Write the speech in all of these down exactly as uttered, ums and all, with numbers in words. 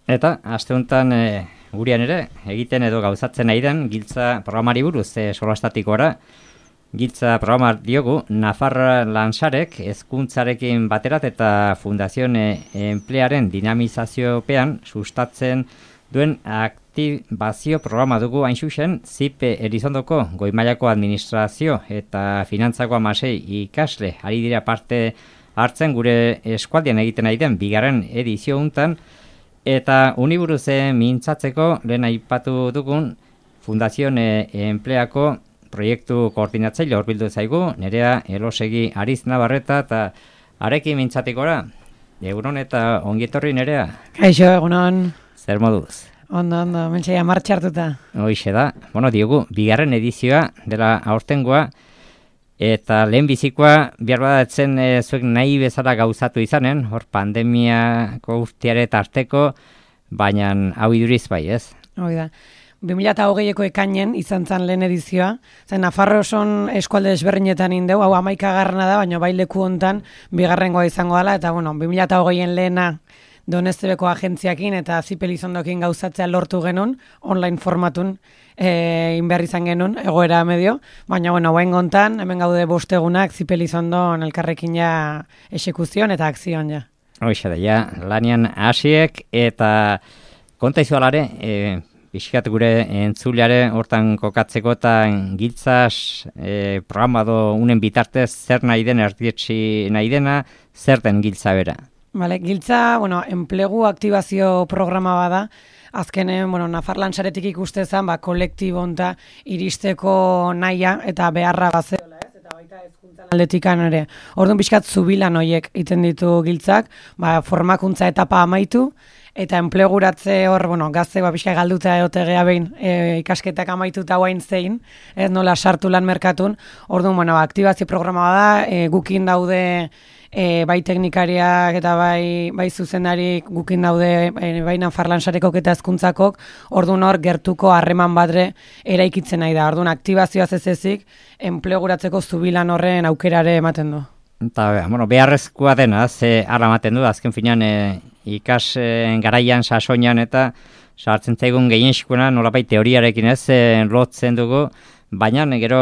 Eta aste honetan e, gurean ere egiten edo gauzatzen nahi den giltza programari buruz e, solastatikora. Giltza programa diogu Nafarra Lansarek hezkuntzarekin baterat eta Fundazion Enplearen dinamizaziopean sustatzen duen aktibazio programa dugu hain zuzen Z I P Elizondoko goi-mailako administrazio eta finantzako hamasei ikasle ari dira parte hartzen gure eskualdean egiten nahi den bigarren edizio hontan. Eta uniburuze mintzatzeko lehen aipatu dugun Fundazion Enpleako proiektu koordinatzaile hurbildu zaigu, Nerea Elosegi Ariz Navarreta eta arekin mintzatikora. Egunon eta ongietorri Nerea. Kaixo, egunon. Zer moduz? Ondo, ondo, mentxeia martxartuta. Hoixe da. Bueno, diogu, bigarren edizioa dela aurtengoa, eta lehen bizikoa behar badatzen e, zuek nahi bezala gauzatu izanen, hor pandemiako urteare tarteko, baina hau iduriz bai, ez? Hoi da. bi mila hogeieko ekainen izan zen lehen edizioa, zen Nafarro oson eskualde desberdinetan indeu, hau hamaikagarrena da, baina bai leku hontan bigarrengoa izango dela, eta bueno, bi mila hogeien lehena Donestebeko agentziakin eta Z I P Elizondokin gauzatzea lortu genuen, online formatun e, inbehar izan genuen, egoera medio, baina bueno, hauen gontan, hemen gaude bostegunak Z I P Elizondon elkarrekin ja esekuzion eta akzioan ja. Hoixe da, ja, lanian hasiek eta konta izualare, e, pixkat gure entzuleare hortan kokatzeko eta giltzaz e, programa do unen bitartez zer nahi den erdietxi nahi dena, zer den giltza bera. Vale, giltza, bueno, enplegu aktibazio programa bada, azkenen, bueno, Nafar Lansaretik ikustezan, ba, kolektibo honta iristeko nahia eta beharra bazeola, ez? Eta baita hezkuntzan aldetikan ere. Orduan pixkat zubilan hoiek iten ditu giltzak, ba, formakuntza etapa amaitu, eta enpleguratze hor, bueno, gazte ba, pixka galduta egotegea behin e, ikasketak amaituta guain zein, ez nola sartu lan merkatun. Orduan, bueno, aktibazio programa da, e, gukin daude E, bai teknikariak eta bai, bai zuzendarik gukin daude e, bai Nafar Lansareko eta hezkuntzakok, orduan hor gertuko harreman badre eraikitzen nahi da. Orduan aktibazioaz ez ezik, enpleguratzeko zubilan horren aukerare ematen du. Eta, bueno, beharrezkoa dena, ze ara ematen du, azken finean e, ikas e, garaian, sasoinan eta sartzen zaigun gehienskuna nolabait teoriarekin ez e, lotzen dugu, baina gero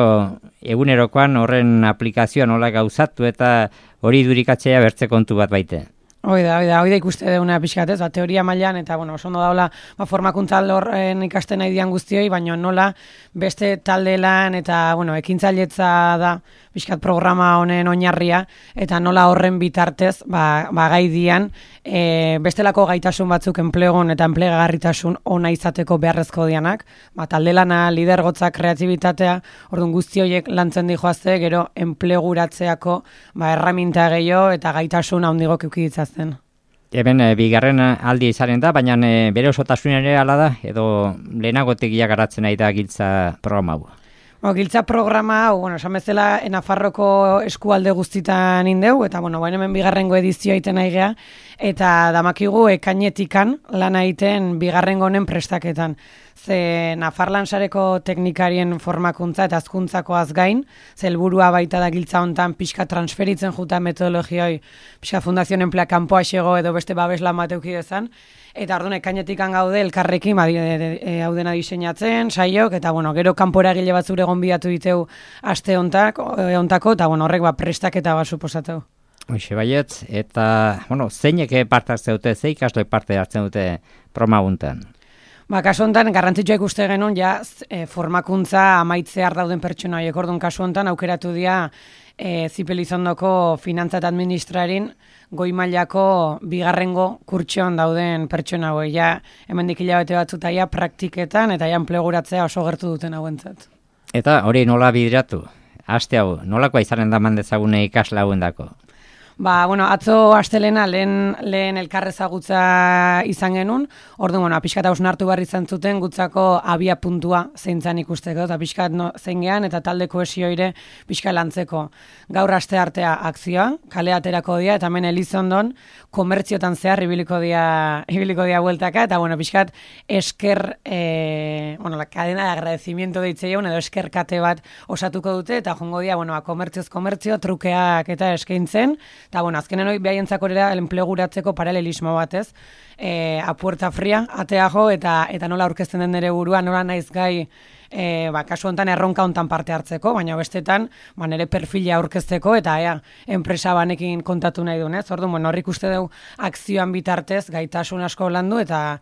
egunerokoan horren aplikazioa nola gauzatu eta hori durikatzea bertze kontu bat baite. Hoi da, hoi da, hoi da ikuste deuna pixkat ez, ba, teoria mailan eta, bueno, oso ondo daula, ba, formakuntza horren ikasten nahi dian guztioi, baina nola beste talde lan eta, bueno, ekintzailetza da pixkat programa honen oinarria, eta nola horren bitartez, ba, ba gai dian, e, bestelako gaitasun batzuk enplegon eta enplegagarritasun ona izateko beharrezko dianak, ba, talde lana, lidergotza, kreatibitatea, orduan guzti horiek lantzen dijoazte, gero enpleguratzeako ba, erraminta gehiago eta gaitasun handigok eukiditzazten. Eben, e, bigarren aldi izaren da, baina e, bere osotasun ere ala da, edo lehenagotik garatzen nahi da giltza programa hau. Bo, giltza programa, hau, bueno, esan bezala Nafarroko eskualde guztitan indeu, eta, bueno, baina hemen bigarrengo edizioa iten nahi gea, eta damakigu ekainetikan lan egiten bigarrengo honen prestaketan. Ze Nafar Lansareko teknikarien formakuntza eta hezkuntzakoaz gain, ze helburua baita da giltza hontan pixka transferitzen juta metodologioi, pixka Fundazion Enplea kanpoa xego edo beste babeslan bat euki dezan, eta orduan ekainetikan gaude elkarrekin ba, e, hau dena diseinatzen, saiok, eta bueno, gero kanpora egile batzure gonbidatu diteu aste hontako, e, hontako, eta bueno, horrek ba, prestaketa bat suposateu. Hoxe baietz, eta bueno, zeinek parte hartzen dute, ze ikasle parte hartzen dute programa hontan? Ba, kasu honetan, garrantzitsua ikuste genuen, ja, e, formakuntza amaitzear dauden pertsona horiek. Orduan, kasu honetan, aukeratu dira e, Z I P Elizondoko finantza eta administrarin goi mailako bigarrengo kurtxoan dauden pertsona hauek. Ja, hemendik hilabete batzuta ja praktiketan eta ja enpleguratzea oso gertu duten hauentzat. Eta hori nola bideratu? Aste hau, nolakoa izanen da mandezagune ikasle hauendako? Ba, bueno, atzo astelena lehen, lehen elkarrezagutza izan genuen, orduan, bueno, pixkat hausnartu barri izan zuten gutzako abia puntua zeintzan ikusteko, eta pixkat no, zein gehan, eta talde kohesioire pixka lantzeko. Gaur aste artea akzioa, kale aterako dia, eta hemen Elizondon komertziotan zehar ibiliko dia, ibiliko dia bueltaka, eta bueno, pixkat esker, e, bueno, la cadena de agradecimiento deitzeion, edo eskerkate bat osatuko dute, eta jongo dia, bueno, komertzioz komertzio, trukeak eta eskaintzen, Eta, bueno, azkenen hori behaientzako ere enpleguratzeko paralelismo bat, ez? E, a puerta fria, atea jo, eta, eta nola aurkezten den nire burua, nola naiz gai, e, ba, kasu honetan erronka hontan parte hartzeko, baina bestetan, ba, nire perfila aurkezteko, eta ea, enpresa banekin kontatu nahi duen, ez? Orduan, bueno, horrik uste dugu akzioan bitartez, gaitasun asko landu, eta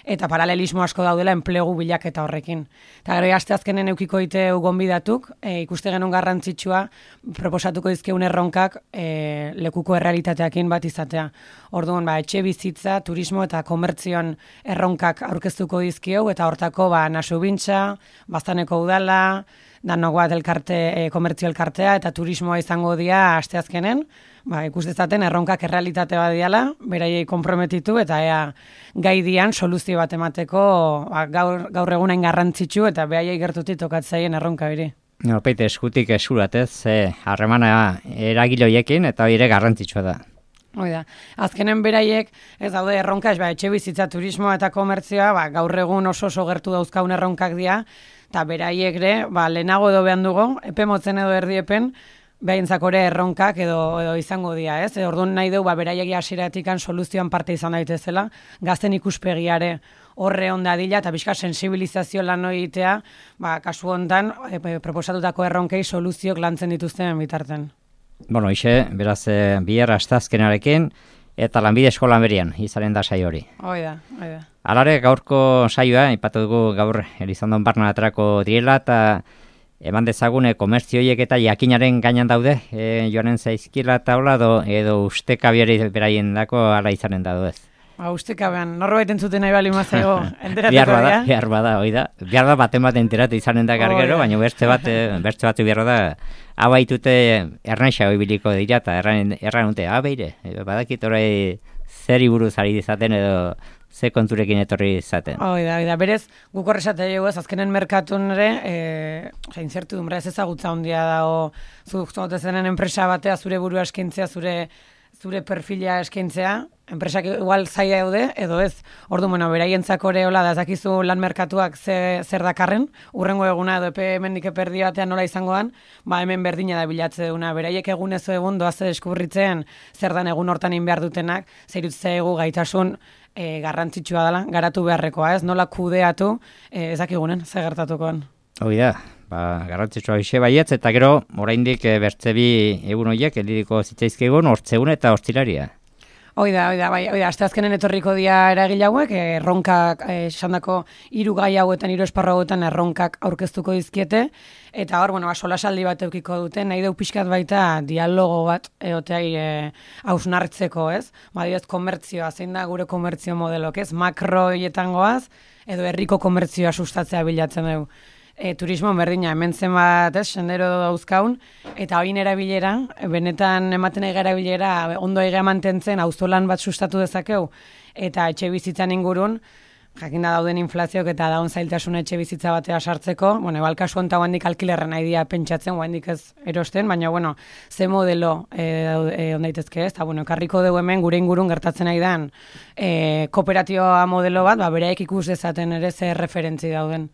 eta paralelismo asko daudela enplegu bilaketa horrekin. Eta gero aste azkenen eukiko diteu gonbidatuk, e, ikuste genuen garrantzitsua, proposatuko dizkeun erronkak e, lekuko errealitateakin bat izatea. Orduan, ba, etxe bizitza, turismo eta komertzioan erronkak aurkeztuko dizkieu, eta hortako ba, nasu bintza, Baztaneko udala, danok bat elkarte, e, komertzio elkartea, eta turismoa izango dira aste azkenen, ba, ikus dezaten erronkak errealitate bat diala, beraiei konprometitu, eta ea gai dian soluzio bat emateko ba, gaur, gaur egunain garrantzitsu, eta beraiei gertuti tokatzaien erronka biri. No, peite eskutik esuratez, harremana eragiloiekin, eta hori ere garrantzitsua da. Hoi da, azkenen beraiek, ez daude erronka, ba, etxe bizitza, turismoa eta komertzioa, ba, gaur egun oso oso gertu dauzkaun erronkak dira, eta beraiek ere, ba, lehenago edo behan dugu, epe motzen edo erdiepen, behintzakore erronkak edo, edo izango dira, ez? E, orduan nahi dugu, ba, beraiek hasieratik soluzioan parte izan daitezela, gazten ikuspegiare horre onda dila, eta bizka sensibilizazio lan egitea, ba, kasu hontan, e, proposatutako erronkei soluziok lantzen dituzten bitarten. Bueno, ixe, beraz, e, bihar astazkenarekin, eta lanbide eskolan berian, izanen da saio hori. Hoi da, hoi da. Alare, gaurko saioa, ipatu dugu gaur Elizondon barna aterako direla, eta eman dezagune komertzioiek eta jakinaren gainan daude, e, joanen zaizkila eta hola, edo, edo ustekabiari beraien dako ala izanen da ez. Ba, ustekabean, norbait entzuten nahi bali mazego, enterateko bihar bada, bihar bada, hoi da. Bihar da baten bat enteratu izanen da gargero, baina beste bat, beste bat bihar da, hau baitute ernaixa hoi biliko dira, eta erran, erran unte, ah, beire, badakit orai zeri buruz ari dizaten edo ze konturekin etorri izaten. Hoi da, hoi da, berez, guk horrezate dugu ez, azkenen merkatun ere, e, inzertu dumra ez ezagutza hondia dago, zuk zenen enpresa batea zure burua eskintzea, zure zure perfila eskaintzea, enpresak igual zaila daude, edo ez. Ordu, bueno, beraientzako ere hola, da zakizu lan merkatuak ze, zer dakarren, urrengo eguna edo epe hemendik eperdi batean nola izangoan, ba hemen berdina da bilatze duguna. Beraiek egun ez egun doaz deskubritzen zer dan egun hortan in behar dutenak, zer egu gaitasun e, garrantzitsua dela, garatu beharrekoa, ez? Nola kudeatu, e, ezakigunen, ze gertatukoan. Hoi da, ba, garrantzitsua hoxe baietz, eta gero, oraindik e, bertze bi egun horiek, elidiko zitzaizkegun, hortzegun eta hortzilaria. Hoi da, hoi da, bai, hoi da, aste azkenen etorriko dia eragile hauek, erronkak, esandako hiru gai hauetan, hiru esparru hauetan erronkak aurkeztuko dizkiete, eta hor, bueno, solasaldi bat eukiko dute, nahi deu pixkat baita dialogo bat eoteai e, hausnartzeko, ez? Badioz, komertzioa, zein da gure komertzio modelok, ez? Makro hietan goaz, edo herriko komertzioa sustatzea bilatzen dugu. E, turismo berdina, hemen zen bat, ez, sendero dauzkaun, eta hori erabilera, benetan ematen ega erabilera, ondo ega mantentzen, auzolan bat sustatu dezakeu, eta etxe bizitzan ingurun, jakinda dauden inflazioak eta daun zailtasun etxe bizitza batea sartzeko, bueno, ebal kasu honta guandik alkilerren nahi dia pentsatzen, guandik ez erosten, baina, bueno, ze modelo e, e, ondaitezke ez, eta, bueno, karriko dugu hemen gure ingurun gertatzen nahi dan, e, kooperatioa modelo bat, ba, bereik ikus dezaten ere ze referentzi dauden.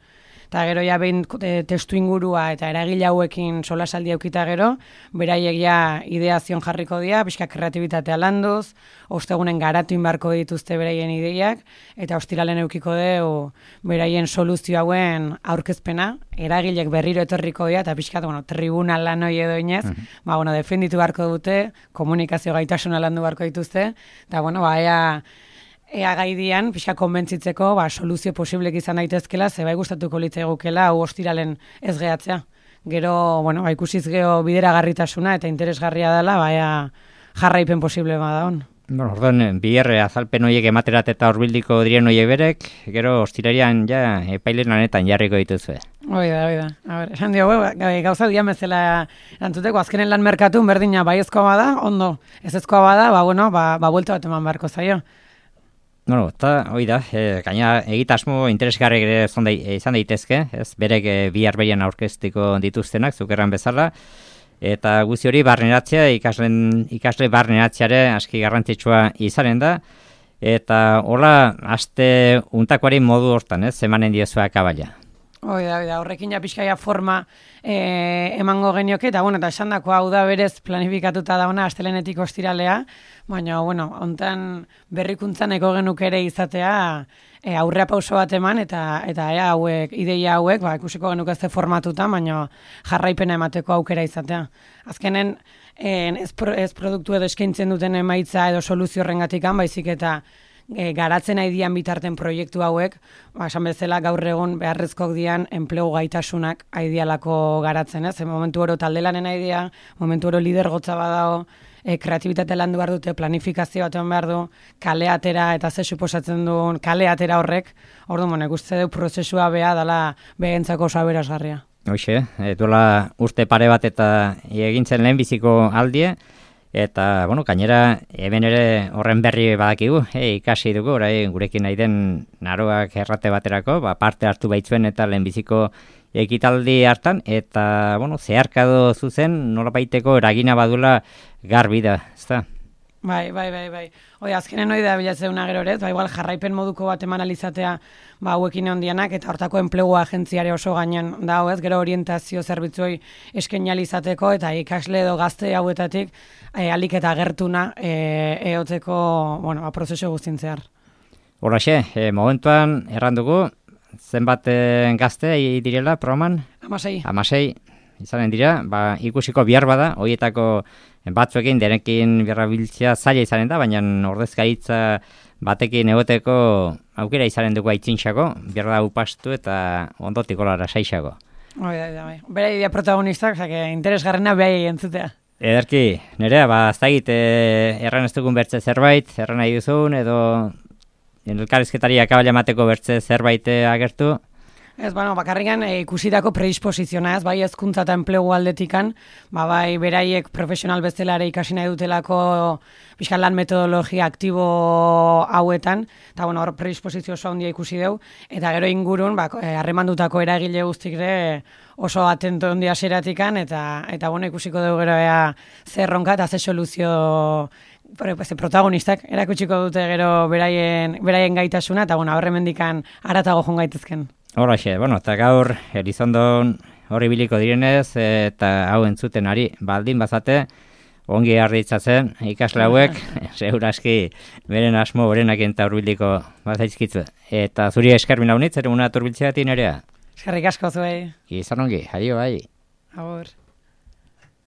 Eta gero ja behin testu ingurua eta eragile hauekin solasaldi aukita gero, beraiek ja ideazion jarriko dira, pixka kreatibitatea landuz, ostegunen garatu inbarko dituzte beraien ideiak, eta ostiralen eukiko deu beraien soluzio hauen aurkezpena, eragilek berriro etorriko dira, eta pixka, bueno, tribunal lan hori edo inez, uh-huh. ba, bueno, defenditu beharko dute, komunikazio gaitasuna landu beharko dituzte, eta, bueno, ba, ea, ea gaidian, pixka konbentzitzeko, ba, soluzio posiblek izan daitezkela, ze bai gustatuko litzaigukela, hau ostiralen ez gehatzea. Gero, bueno, ba, ikusiz gero bideragarritasuna eta interesgarria dela, ba, ea jarraipen posible bada hon. Bueno, orduan, bierre azalpen horiek ematerat eta horbildiko diren horiek berek, gero ostirarian ja epailen lanetan jarriko dituzue. Hoi da, hoi da. A ber, esan dio, gauza dian bezala erantzuteko, azkenen lan merkatun berdina baiezkoa bada, ondo, ez ezkoa bada, ba, bueno, ba, ba buelta bat eman beharko zaio. No, eta hoi da, e, gaina egitasmo interesgarri ere izan daitezke, ez berek e, bihar behian aurkeztiko dituztenak, zukerran bezala, eta guzti hori barneratzea, ikaslen, ikasle barneratzeare aski garrantzitsua izanen da, eta hola, aste untakoari modu hortan, ez, emanen diozuak abaila. Hoi da, hoi da, horrekin ja pixkaia forma e, emango genioke, eta bueno, eta esan dako hau da berez planifikatuta dauna astelenetik ostiralea, baina, bueno, hontan berrikuntzan eko genuk ere izatea e, aurrea pauso bat eman, eta eta ea hauek, ideia hauek, ba, ikusiko genuk ez formatuta, baina jarraipena emateko aukera izatea. Azkenen, en, ez, pro, ez produktu edo eskaintzen duten emaitza edo soluzio horrengatikan, baizik eta E, garatzen nahi dian bitarten proiektu hauek, ba, esan bezala gaur egun beharrezkoak dian enplegu gaitasunak aidialako garatzen, ez? E, momentu oro taldelanen aidea, momentu oro lidergotza badao, e, kreatibitate landu behar dute, planifikazio bat eman behar du, kale atera eta ze suposatzen duen kale atera horrek, ordu monek uste du prozesua beha dala behentzako oso aberasgarria. Hoxe, e, duela urte pare bat eta egintzen lehenbiziko aldie, eta, bueno, gainera, hemen ere horren berri badakigu, e, ikasi dugu, orai, gurekin nahi den naroak errate baterako, ba, parte hartu baitzuen eta lehenbiziko ekitaldi hartan, eta, bueno, zeharkado zuzen, nola baiteko eragina badula garbi da, ezta? Bai, bai, bai, bai. Hoi, azkenen hoi da bilatzeuna gero ere, ba, igual jarraipen moduko bat eman alizatea ba, hauekin ondianak, eta hortako enplegu agentziare oso gainen da, ez, gero orientazio zerbitzuoi eskenalizateko, eta ikasle edo gazte hauetatik e, alik eta gertuna e, eoteko, bueno, ba, prozesu guztintzear. Horaxe, e, momentuan errandugu, zenbat e, gazte direla programan? Amasei. Amasei, izanen dira, ba, ikusiko bihar bada, horietako batzuekin denekin berrabiltzea zaila izanen da, baina ordezkaritza batekin egoteko aukera izanen dugu aitzintxako, behar da upastu eta ondotik olara saixako. Bai, bai, bai. Bera idea protagonistak, osake, interesgarrena behai entzutea. Ederki, nerea, ba, ez da egit, e, erran ez dugun bertze zerbait, erran nahi duzun, edo elkarrizketari akabala emateko bertze zerbait agertu. Ez, bueno, bakarrikan e, ikusitako predisposiziona, ez, bai hezkuntza eta enplegu aldetikan, ba, bai beraiek profesional bezala ere ikasi nahi dutelako pixkan lan metodologia aktibo hauetan, eta bueno, hor predisposizio oso handia ikusi dugu, eta gero ingurun, ba, harremandutako eragile guztik ere oso atento handia zeratikan, eta, eta bueno, ikusiko dugu gero ea zer ronka eta zer soluzio protagonistak erakutsiko dute gero beraien, beraien gaitasuna, eta bueno, horremendikan aratago joan gaitezken. Horraxe, bueno, eta gaur Elizondon hori biliko direnez, eta hau entzuten ari baldin bazate, ongi arditzatzen ikasle hauek, seguraski beren asmo berenak eta hurbiliko bazaizkitzu. Eta zuri eskermin haunitz, ere una turbiltzea tinerea. Eskerrik asko zuei. Izan ongi, aio, bai. Agur.